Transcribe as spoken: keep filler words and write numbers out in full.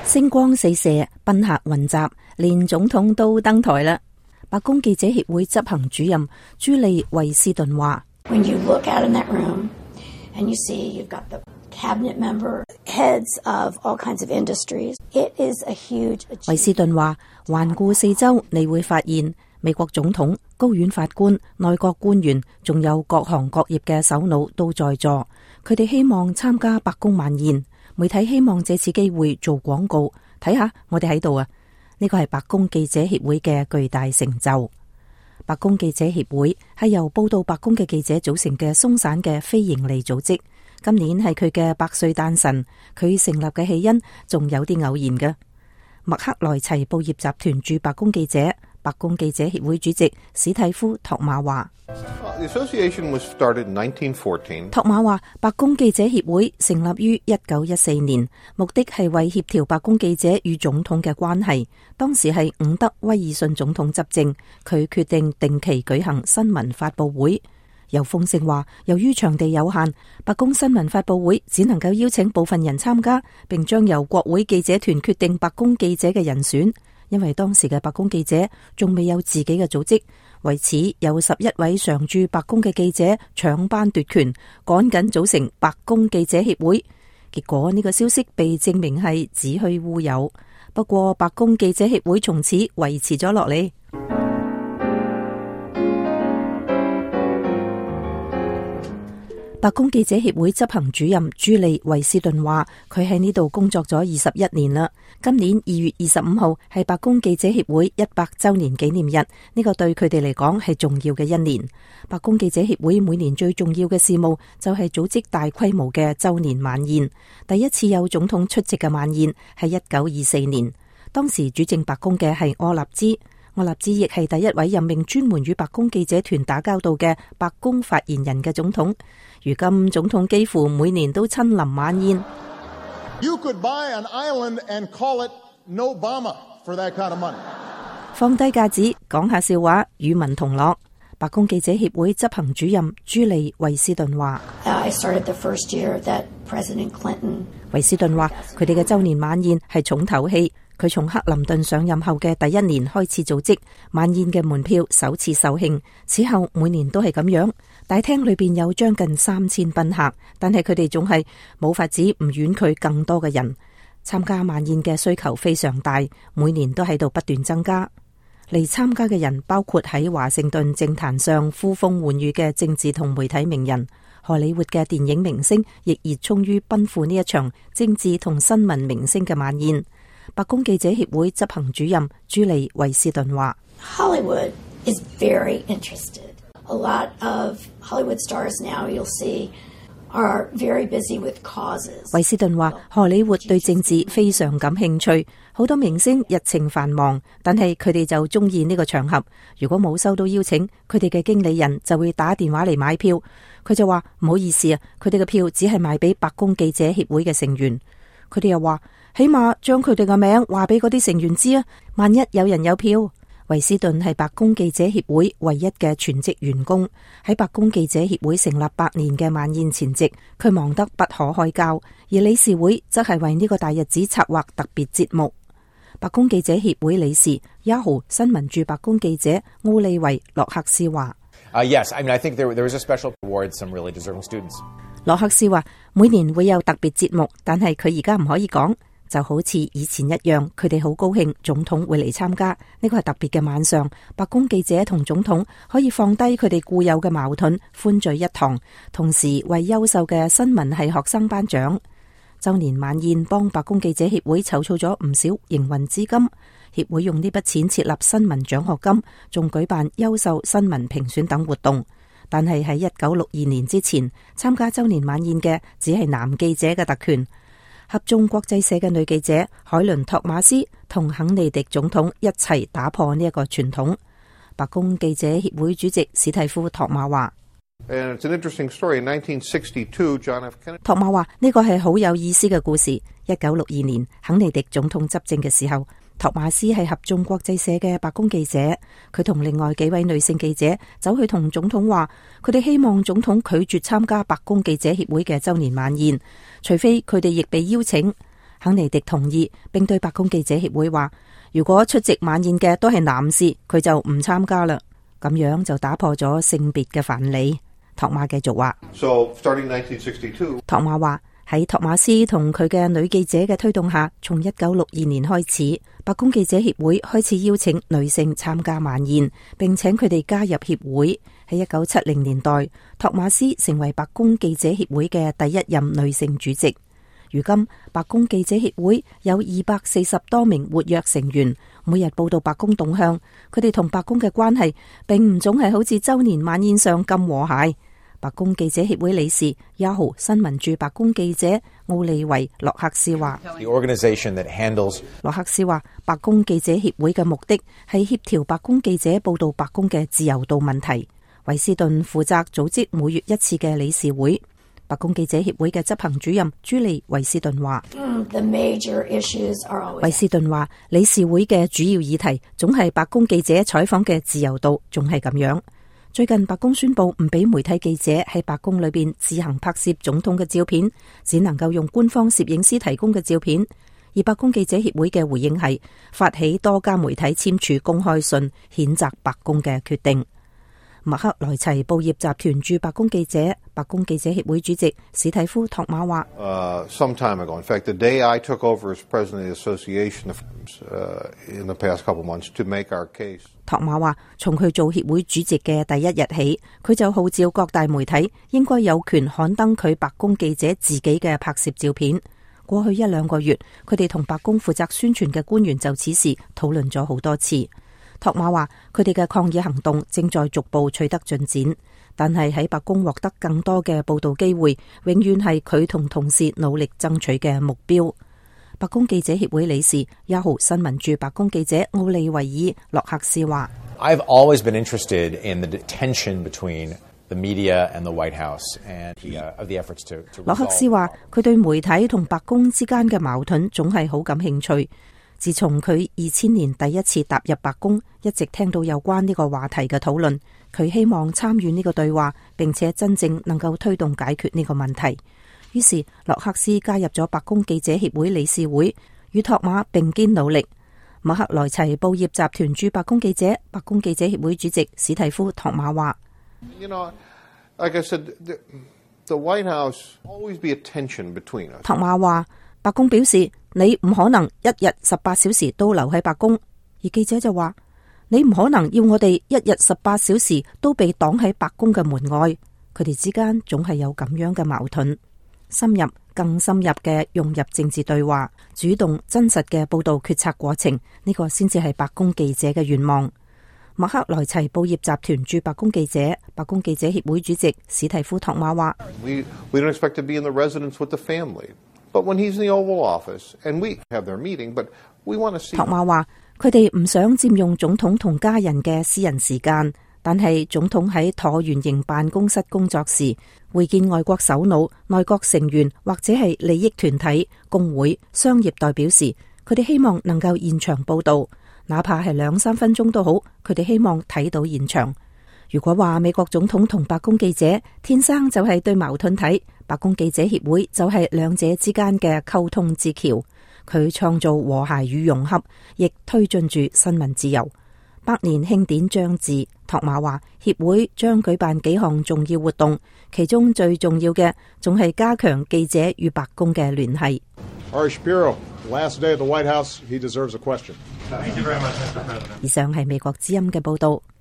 星光四射，賓客雲集，連總統都登台啦。白宮記者協會執行主任朱莉維斯頓話：When you look out in that room and you see you've got the cabinet member, heads of all kinds of industries, it is a huge achievement. 維斯頓話：環顧四周，你會發現美國總統、高院法官、內閣官員，仲有各行各業嘅首腦都在座。佢哋希望參加白宮晚宴。媒體希望借此機會做廣告，睇下我哋喺度啊！呢個係白宮記者協會嘅巨大成就。白宮記者協會係由報道白宮嘅記者組成嘅鬆散嘅非營利組織。今年係佢嘅百歲誕辰，佢成立嘅起因仲有啲偶然嘅。麥克萊齊報業集團駐白宮記者、白宮記者協會主席史蒂夫托馬話。托馬話：白宮記者協會成立於一九一四年，目的係為協調白宮記者與總統嘅關係。當時係伍德威爾遜總統執政，佢決定定期舉行新聞發佈會。有風聲話，由於場地有限，白宮新聞發佈會只能夠邀請部分人參加，並將由國會記者團決定白宮記者嘅人選。因為當時嘅白宮記者仲未有自己嘅組織，為此有十一位常駐白宮嘅記者搶班奪權，趕緊組成白宮記者協會。結果呢個消息被證明係子虛烏有。不過白宮記者協會從此維持咗落嚟。白宮記者協會執行主任朱莉維斯頓話：佢喺呢度工作咗二十一年啦。今年二月二十五號係白宮記者協會一百周年紀念日，呢個對佢哋嚟講係重要嘅一年。白宮記者協會每年最重要嘅事務就係組織大規模嘅周年晚宴。第一次有總統出席嘅晚宴係一九二四年，當時主政白宮嘅係柯立茲。柯立茲亦係第一位任命專門與白宮記者團打交道嘅白宮發言人嘅總統。如今總統幾乎每年都親臨晚宴。You could buy an island and call it Nobama for that kind of money. 放低架子，講下笑話，與民同樂。白宮記者協會執行主任朱莉維斯頓話： I started the first year that President Clinton. 維斯頓話：佢哋嘅周年晚宴係重頭戲。佢從克林頓上任後嘅第一年開始組織晚宴嘅門票，首次售罄。此後每年都係咁樣。大廳裏邊有將近三千賓客，但係佢哋總係冇法子唔婉拒更多嘅人參加晚宴嘅需求非常大，每年都喺度不斷增加。嚟參加嘅人包括喺華盛頓政壇上呼風喚雨嘅政治同媒體名人，荷里活嘅電影明星亦熱衷於奔赴呢一場政治同新聞明星嘅晚宴。白宮記者協會執行主任朱莉維斯頓話： Hollywood is very interested. A lot of Hollywood stars now you'll see are very busy with causes. 維斯頓話：荷里活對政治非常感興趣，好多明星日程繁忙，但係佢哋就中意呢個場合。如果冇收到邀請，佢哋嘅經理人就會打電話嚟買票。佢就話：唔好意思啊，佢哋嘅票只係賣俾白宮記者協會嘅成員。佢哋又話：起碼將佢哋嘅名話俾嗰啲成員知啊，萬一有人有票。維斯頓係白宮記者協會唯一嘅全職員工。喺白宮記者協會成立百年嘅晚宴前夕，佢忙得不可開交，而理事會則係為呢個大日子策劃特別節目。白宮記者協會理事 Yahoo 新聞駐白宮記者奧利維洛克斯話： Uh, yes, I mean, I think there, there was a special award some really deserving students. 洛克斯話：每年會有特別節目，但係佢而家唔可以講。就好似以前一樣，佢哋好高興總統會嚟參加，呢個係特別嘅晚上。白宮記者同總統可以放低佢哋固有嘅矛盾，歡聚一堂，同時為優秀嘅新聞系學生頒獎。周年晚宴幫白宮記者協會籌措咗唔少營運資金，協會用呢筆錢設立新聞獎學金，仲舉辦優秀新聞評選等活動。但係喺一九六二年之前，參加周年晚宴嘅只係男記者嘅特權。合眾國際社嘅女記者海倫托馬斯同肯尼迪總統一齊打破呢一個傳統。白宮記者協會主席史蒂夫托馬話：托馬話呢個係好有意思嘅故事。一九六二年肯尼迪總統執政嘅時候，托馬斯係合眾國際社嘅白宮記者，佢同另外幾位女性記者走去同總統話，佢哋希望總統拒絕參加白宮記者協會嘅周年晚宴，除非佢哋亦被邀請。肯尼迪同意，並對白宮記者協會話，如果出席晚宴嘅都係男士，佢就唔參加啦。咁樣就打破咗性別嘅藩籬。托馬繼續話， So, starting nineteen sixty-two, 托馬話喺托馬斯同佢嘅女記者嘅推動下，從一九六二年開始，白宮記者協會開始邀請女性參加晚宴，並請佢哋加入協會。喺一九七零年代，托馬斯成為白宮記者協會嘅第一任女性主席。如今，白宮記者協會有二百四十多名活躍成員，每日報道白宮動向。佢哋同白宮嘅關係並唔總係好似周年晚宴上咁和諧。白宮記者協會理事 Yahoo 新聞駐白宮記者奧利維洛克斯話， The organization that handles 洛克斯話，白宮記者協會嘅目的係協調白宮記者報道白宮嘅自由度問題。維斯頓負責組織每月一次嘅理事會。白宮記者協會嘅執行主任朱莉維斯頓話，維斯頓話，理事會嘅主要議題總係白宮記者採訪嘅自由度，仲係咁樣。最近白宮宣布唔俾媒體記者喺白宮裏邊自行拍攝總統嘅照片，只能夠用官方攝影師提供嘅照片。而白宮記者協會嘅回應係發起多家媒體簽署公開信，譴責白宮嘅決定。麥克萊齊報業集團駐白宮記者、白宮記者協會主席史蒂夫托馬話uh, some time ago, in fact, the day I took over as president of the association uh, in the past couple months to make our case. 托馬話，從佢做協會主席嘅第一日起，佢就號召各大媒體應該有權刊登佢白宮記者自己嘅拍攝照片。過去一兩個月，佢哋同白宮負責宣傳嘅官員就此事討論咗好多次。托馬話，佢哋嘅抗議行動正在逐步取得進展，但係喺白宮獲得更多嘅報道機會，永遠係佢同同事努力爭取嘅目標。白宮記者協會理事 Yahoo 新聞駐白宮記者奧利維爾洛克斯話， I've always been interested in the tension between the media and the White House and the, uh, of the efforts to, to 洛克斯話，佢對媒體同白宮之間嘅矛盾總係好感興趣。自從佢二千年第一次踏入白宮，一直聽到有關呢個話題嘅討論。佢希望參與呢個對話，並且真正能夠推動解決呢個問題。於是洛克斯加入咗白宮記者協會理事會，與托馬並肩努力。麥克萊齊報業集團駐白宮記者、白宮記者協會主席史蒂夫托馬話， You know, like I said, the, the White House always be a tension between us. 托馬話，白宮表示你唔可能一日十八小時都留喺白宮，而記者就話，你唔可能要我哋一日十八小時都被擋喺白宮嘅門外。佢哋之間總係有咁樣嘅矛盾。深入更深入嘅融入政治對話，主動真實嘅報道決策過程，呢個先至係白宮記者嘅願望。麥克萊齊報業集團駐白宮記者、白宮記者協會主席史蒂夫托馬話， We, we don't expect to be in the residence with the family, but when he's in the Oval Office and we have their meeting, but we want to see. 托馬話，佢哋唔想佔用總統同家人嘅私人時間，但係總統喺橢圓形辦公室工作時，會見外國首腦、內閣成員或者係利益團體、工會、商業代表時，佢哋希望能夠現場報道，哪怕係兩三分鐘都好，佢哋希望睇到現場。如果話美國總統同白宮記者天生就係對矛盾體，白宮記者協會就係兩者之間嘅溝通之橋，佢創造和諧與融合，亦推進住新聞自由。百年慶典將至，托馬話協會將舉辦幾項重要活動，其中最重要嘅仲係加強記者與白宮嘅聯繫。Ari Shapiro, last day at the White House, he deserves a question. Thank you very much, Mister President. 以上係美國之音嘅報道。